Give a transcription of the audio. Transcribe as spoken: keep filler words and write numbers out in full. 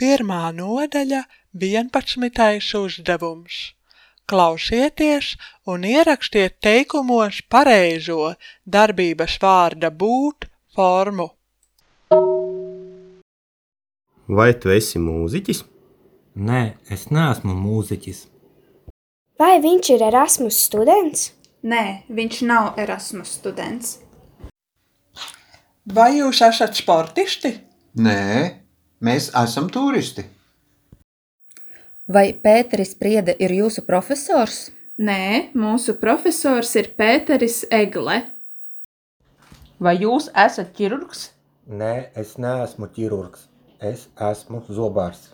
Pirmā nodaļa – vienpadsmitais uzdevums. Klausieties un ierakstiet teikumos pareizo darbības vārda būt formu. Vai tu esi mūziķis? Nē, es neesmu mūziķis. Vai viņš ir Erasmus students? Nē, viņš nav Erasmus students. Vai jūs esat sportisti? Nē, mēs esam turisti. Vai Pēteris Priede ir jūsu profesors? Nē, mūsu profesors ir Pēteris Egle. Vai jūs esat ķirurgs? Nē, es neesmu ķirurgs. Es esmu zobārs.